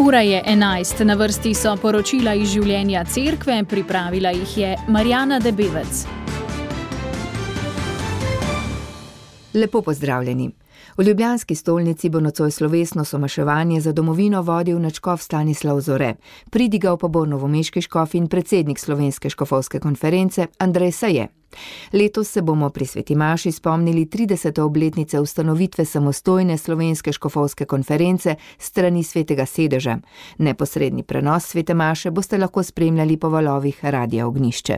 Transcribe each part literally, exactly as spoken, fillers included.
Ura je enajst, na vrsti so poročila iz življenja cerkve, pripravila jih je Marjana Debevec. Lepo pozdravljeni. V ljubljanski stolnici bo nocoj slovesno somaševanje za domovino vodil nadškof Stanislav Zore. Pridigal pa bo novomeški škof in predsednik Slovenske škofovske konference Andrej Saje. Letos se bomo pri sveti maši spomnili tridesete obletnice ustanovitve samostojne Slovenske škofovske konference strani svetega sedeža. Neposredni prenos svete maše boste lahko spremljali po valovih Radia Ognjišče.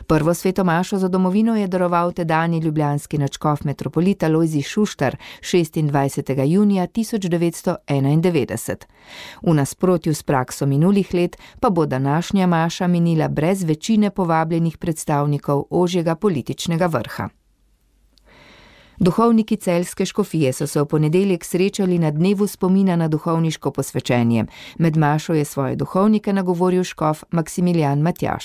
Prvo sveto mašo za domovino je daroval tedanji ljubljanski nadškof metropolit Alojzij Šuštar šestindvajsetega junija tisoč devetsto enaindevetdeset. V nasprotju s prakso minulih let pa bo današnja maša minila brez večine povabljenih predstavnikov ožjega političnega vrha. Duhovniki celjske škofije so se v ponedeljek srečali na dnevu spomina na duhovniško posvečenje. Med mašo je svoje duhovnike nagovoril škof Maksimilijan Matjaž.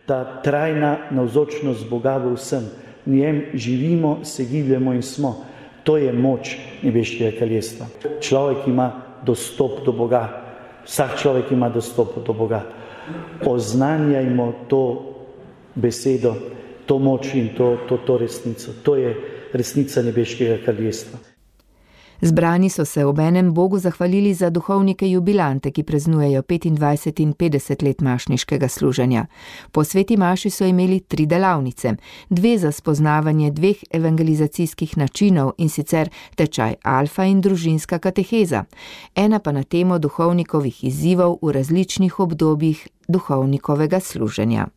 Ta trajna navzočnost Boga v vsem, v njem živimo, se gibljemo in smo. To je moč nebeškega kraljestva. Človek ima dostop do Boga. Vsak človek ima dostop do Boga. Oznanjajmo to besedo, to moč in to, to, to resnico. To je resnica nebeškega kraljestva. Zbrani so se obenem Bogu zahvalili za duhovnike jubilante, ki praznujejo petindvajset in petdeset let mašniškega služenja. Po sveti maši so imeli tri delavnice, dve za spoznavanje dveh evangelizacijskih načinov, in sicer tečaj alfa in družinska kateheza, ena pa na temo duhovnikovih izzivov v različnih obdobjih duhovnikovega služenja.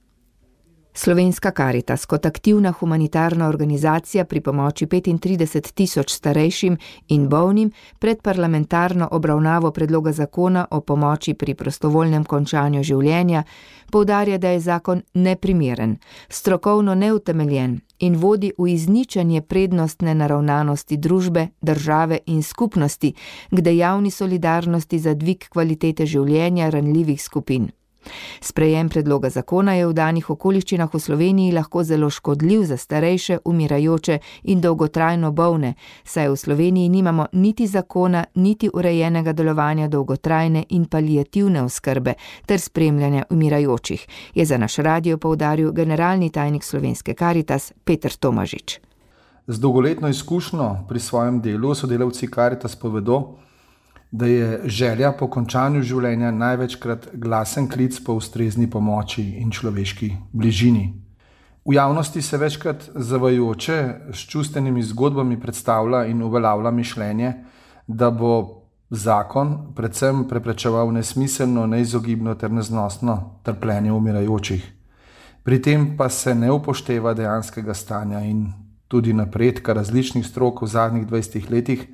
Slovenska Karitas kot aktivna humanitarna organizacija pri pomoči petintrideset tisoč starejšim in bolnim pred parlamentarno obravnavo predloga zakona o pomoči pri prostovoljnem končanju življenja poudarja, da je zakon neprimeren, strokovno neutemeljen in vodi v izničenje prednostne naravnanosti družbe, države in skupnosti k dejavni solidarnosti za dvig kvalitete življenja ranljivih skupin. Sprejem predloga zakona je v danih okoliščinah v Sloveniji lahko zelo škodljiv za starejše, umirajoče in dolgotrajno bolne, saj v Sloveniji nimamo niti zakona, niti urejenega delovanja dolgotrajne in paliativne oskrbe ter spremljanja umirajočih, je za naš radio poudaril generalni tajnik Slovenske Karitas Peter Tomažič. Z dolgoletno izkušnjo pri svojem delu sodelavci Karitas povedo, da je želja po končanju življenja največkrat glasen klic po ustrezni pomoči in človeški bližini. V javnosti se večkrat zavajajoče s čustvenimi zgodbami predstavlja in uveljavlja mišljenje, da bo zakon predvsem preprečeval nesmiselno, neizogibno ter neznosno trpljenje umirajočih. Pri tem pa se ne upošteva dejanskega stanja in tudi napredka različnih strok v zadnjih dvajsetih letih,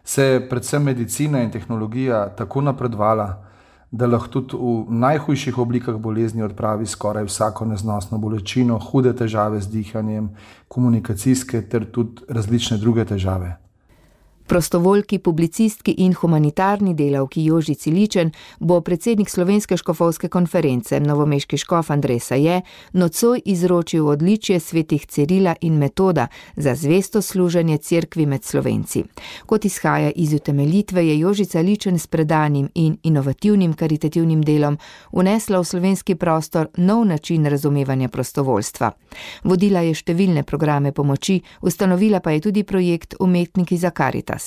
se je predvsem medicina in tehnologija tako napredovala, da lahko tudi v najhujših oblikah bolezni odpravi skoraj vsako neznosno bolečino, hude težave z dihanjem, komunikacijske ter tudi različne druge težave. Prostovoljki, publicistki in humanitarni delavki Joži Ciličen bo predsednik Slovenske škofovske konference, novomeški škof Andrej Saje, nocoj izročil odličje svetih Cirila in Metoda za zvesto služenje cerkvi med Slovenci. Kot izhaja iz utemeljitve, je Joži Ciličen s predanim in inovativnim karitativnim delom vnesla v slovenski prostor nov način razumevanja prostovoljstva. Vodila je številne programe pomoči, ustanovila pa je tudi projekt Umetniki za Karitas.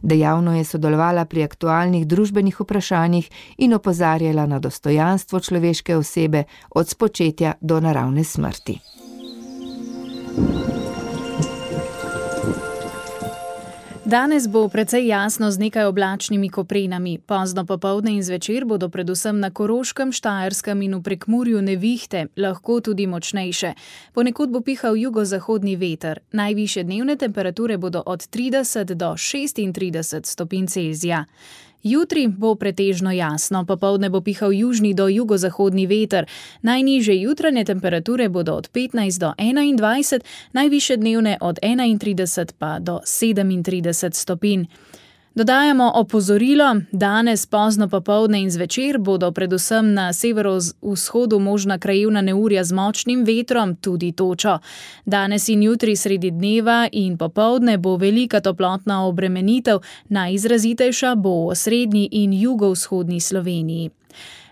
Dejavno je sodelovala pri aktualnih družbenih vprašanjih in opozarjala na dostojanstvo človeške osebe od spočetja do naravne smrti. Danes bo precej jasno z nekaj oblačnimi koprenami. Pozno popoldne in zvečer bodo predvsem na Koroškem, Štajerskem in v Prekmurju nevihte, lahko tudi močnejše. Ponekod bo pihal jugozahodni veter. Najvišje dnevne temperature bodo od trideset do šestintrideset stopinj Celzija. Jutri bo pretežno jasno, popoldne bo pihal južni do jugozahodni veter. Najnižje jutranje temperature bodo od petnajst do enaindvajset, najvišje dnevne od enaintrideset pa do sedemintrideset stopinj. Dodajamo opozorilo, danes pozno popoldne in zvečer bodo predvsem na severovzhodu možna krajevna neurja z močnim vetrom, tudi točo. Danes in jutri sredi dneva in popoldne bo velika toplotna obremenitev, najizrazitejša bo v osrednji in jugovzhodni Sloveniji.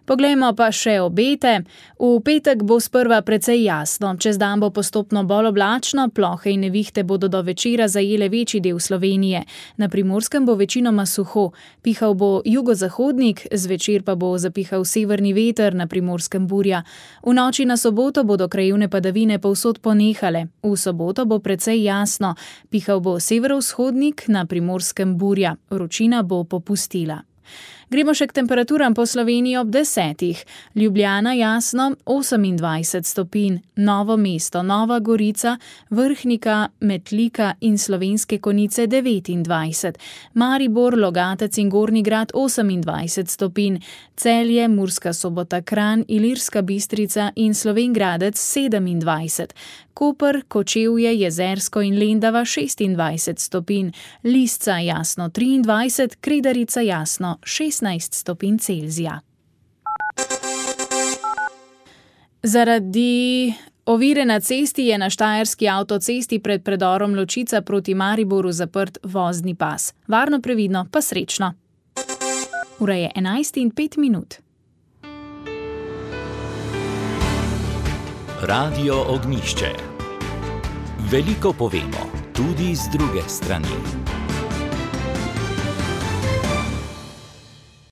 Poglejmo pa še obete. V petek bo sprva precej jasno, čez dan bo postopno bolj oblačno, plohe in nevihte bodo do večera zajele večji del Slovenije. Na Primorskem bo večinoma suho, pihal bo jugozahodnik, zvečer pa bo zapihal severni veter, na Primorskem burja. V noči na soboto bodo krajevne padavine povsod ponehale. V soboto bo precej jasno, pihal bo severovzhodnik, na Primorskem burja. Vročina bo popustila. Gremo še k temperaturam po Sloveniji ob desetih. Ljubljana jasno osemindvajset stopinj, Novo mesto, Nova Gorica, Vrhnika, Metlika in Slovenske Konjice devetindvajset, Maribor, Logatec in Gornji Grad osemindvajset stopinj, Celje, Murska Sobota, Kranj, Ilirska Bistrica in Slovenj Gradec sedemindvajset, Koper, Kočevje, Jezersko in Lendava šestindvajset stopinj, Lisca jasno triindvajset, Kredarica jasno šestnajst stopinj Celzija. Zaradi ovire na cesti je na štajerski avtocesti pred predorom Ločica proti Mariboru zaprt vozni pas. Varno, previdno, pa srečno. Ura je enajst in pet minut. Radio Ognjišče. Veliko povemo, tudi z druge strani.